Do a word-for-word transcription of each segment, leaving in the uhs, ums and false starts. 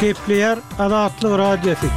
Gepleýär Azatlyk Radiosy.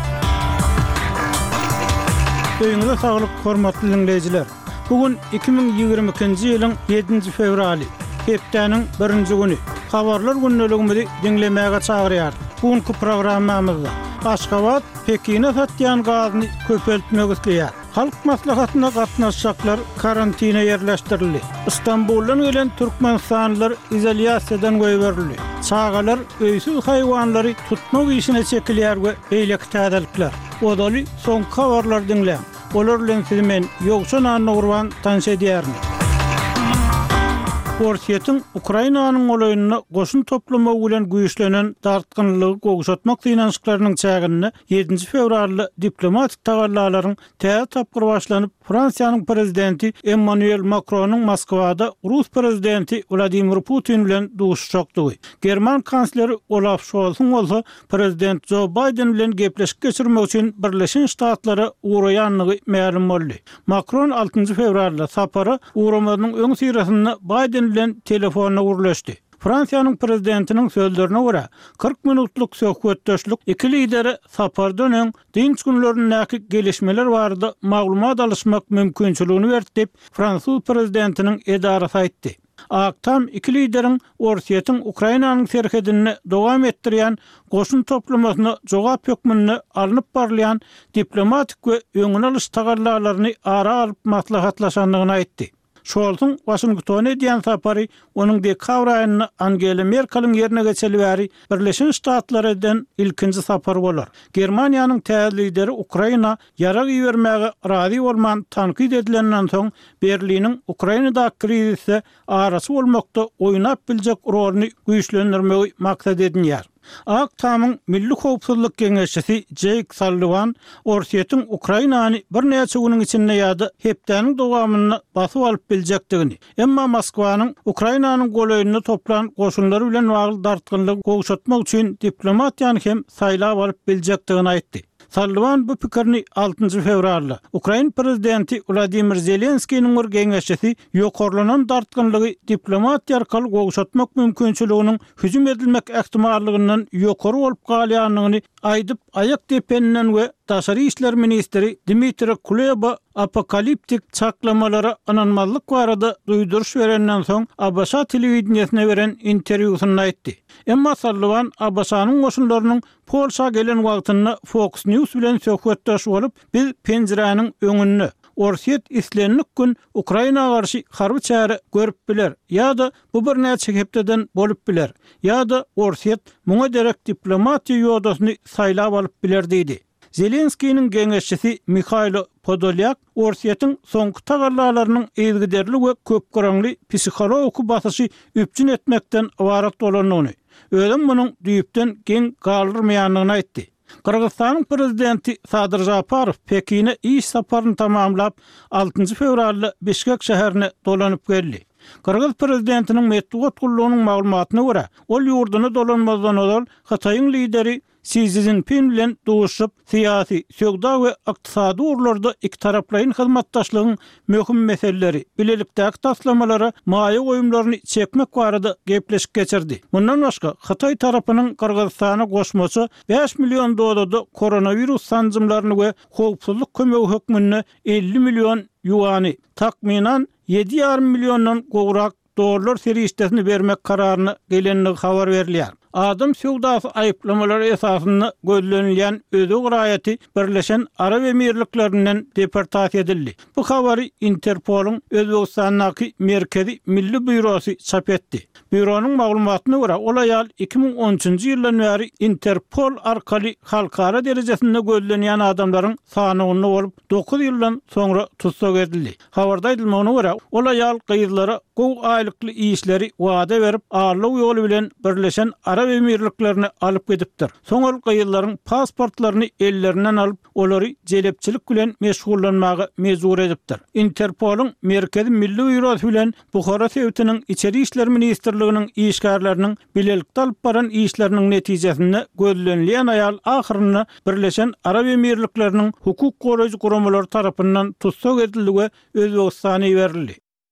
Öýüňize saglyk, hormatly diňleýjiler! Bu gün iki müň ýigrimi ikinji ýylyň ýedinji fewraly, hepdäniň birinji güni. Habarlar gündeligimizi diňlemäge çagyrýarys. Bu günki programmamyzda Aşgabat Pekine satýan gazyny köpeltmek isleýär. Halk maslahatyna gatnaşjaklar karantine ýerleşdirildi. Stambuldan gelen türkmenistanlylar izolýasiýadan goýberildi. Çagalar öýsüz haýwanlary tutmak işine çekilýär we beýleki täzelikler. Ozaly soňky habarlary diňläň. Olar bilen sizi men, Ýowşan Annagurban tanyş edýärin. Orsýetiň Ukrainanyň golaýynda goşun toplamagy bilen güýçlenen dartgynlylygy gowşatmak synanyşyklarynyň çäginde ýedinji fewralda diplomatik tagallalaryň täze tapgyry başlanyp, Fransiýanyň prezidenti Emmanuel Makronyň Moskwada rus prezidenti Wladimir Putin bilen duşuşjakdygy, german kansleri Olaf Şolsuň bolsa prezident Jo Baýden bilen gepleşik geçirmek üçin Birleşen Ştatlara ugraýandygy mälim boldy. Makron altynjy fewralda sapara ugramazynyň öňüsyrasynda Baýden bilen telefonda gürleşdi. Fransiýanyň prezidentiniň sözlerine görä, kyrk minutlyk söhbetdeşlik iki lidere sapardan öň dynç günlerindäki gelişmeler barada maglumat alyşmak mümkinçiligini berdi diýip, fransuz prezidentiniň edarasy aýtdy. Ak Tam iki lideriň Orsýetiň Ukrainanyň serhedinde dowam etdirýän goşun toplamasyna jogap hökmünde alnyp barylýan diplomatik we öňüni alyş tagallalaryny ara alyp maslahatlaşandygyny aýtdy. Şolsuň Waşingtona edýän sapary onuň dekabr aýynda Angela Merkeliň ýerine geçeli bäri Birleşen Ştatlara eden ilkinji sapary bolar. Germaniýanyň täze lideri Ukraina ýarag ibermäge razy bolman tankyt edilenden soň Berliniň Ukrainadaky krizisde araçy bolmakda oýnap biljek roluny güýçlendirmegi maksat edinýär. Ak Tamyň Milli howpsuzlyk geňeşçisi Jeýk Salliwan Orsýetiň Ukrainany birnäçe günüň içinde ýa-da hepdäniň dowamynda basyp alyp biljekdigini, emma Moskwanyň Ukrainanyň golaýynda toplan goşunlary bilen bagly dartgynlygy gowşatmak üçin diplomatiýany hem saýlap alyp biljekdigini aýtdy. Salliwan bu pikirini altynjy fewralda, ukrain prezidenti Wladimir Zelenskiniň bir geňeşçisi ýokarlanan dartgynlygy diplomatiýa arkaly gowşatmak mümkinçiliginiň hüjüm edilmek ähtimallygyndan ýokary bolup galýandygyny aýdyp, aýak depeninden we daşary işler ministri Dmitriý Kuleba apokaliptik çaklamalara ynanmazlyk barada duýduryş berenden soň ABŞ telewideniýesine beren interwýusynda aýtdy. Emma Salliwan ABŞ-nyň goşunlarynyň Polşa gelen wagtynda Fox News bilen söhbetdeş bolup, Biz penjiräniň öňünde. Orsýet islendik gün Ukraina garşy harby çäre görüp biler ýa-da bu birnäçe hepdeden bolup biler, ýa-da Orsýet muňa derek diplomatiýa ýodasyny saýlap alyp biler diýdi. Zelenskiniň geňeşçisi Mihaýlo Podolýak Orsýetiň soňky tagallalarynyň yzygiderli we köpgyraňly psihologiki basyşy üpjün etmekden ybarat bolandygyny, özem munuň düýpden geň galdyrmaýandygyny aýtdy. Gyrgyzystanyň Prezidenti Sadyr Žaparow Pekine iş saparyny tamamlap, altynjy fewralda Bişkek şäherine dolanyp geldi. Gyrgyz prezidentiniň metbugat gullugynyň maglumatyna görä, ol ýurduna dolanmazdan ozal Hytaýyň lideri Si Szinpin bilen duşuşyp, syýasy, söwda we ykdysady ugurlarda ikitaraplaýyn hyzmatdaşlygyň möhüm meseleleri, bilelikdäki taslamalara maýa goýumlaryny çekmek barada gepleşik geçirdi. Mundan başga, hytaý tarapynyň Gyrgyzystana goşmaça bäş million dozada koronawirus sanjymlaryny we howpsuzlyk kömegi hökmünde elli million ýuany, takmynan, ýedi ýarym milliondan gowrak dollar serişdesini bermek kararyna gelendigi habar berilýär. Adam söwdasy aýyplamalary esasynda gözlenilýän özbek raýaty Birleşen Arap Emirliklerinden deportasiýa edildi. Bu habary Interpolyň Özbegistandaky Merkezi milli býurosy çap etdi. Býuronyň maglumatyna görä, ol aýal iki müň on üçünji ýyldan bäri Interpol arkaly halkara derejesinde gözlenýän adamlaryň sanawynda bolup, dokuz ýyldan soňra tussag edildi. Habarda aýdylmagyna görä, ol aýal gyzlara gowy aýlykly işleri wada berip, aldaw ýoly bilen Birleşen Arap Emirliklerine alyp gidipdir. Soň ol gyzlaryň pasportlaryny ellerinden alyp, olary jelepçilik bilen meşgullanmaga mejbur edipdir. Interpolyň Merkezi milli býurosy bilen Buhara sebitiniň Içeri işler ministrliginiň işgärleriniň bilelikde alyp baran işleriniň netijesinde gözlenilýän aýal ahyrynda Birleşen Arap Emirlikleriniň hukuk goraýjy guramalary tarapyndan tussag edildi we Özbegistana iberildi.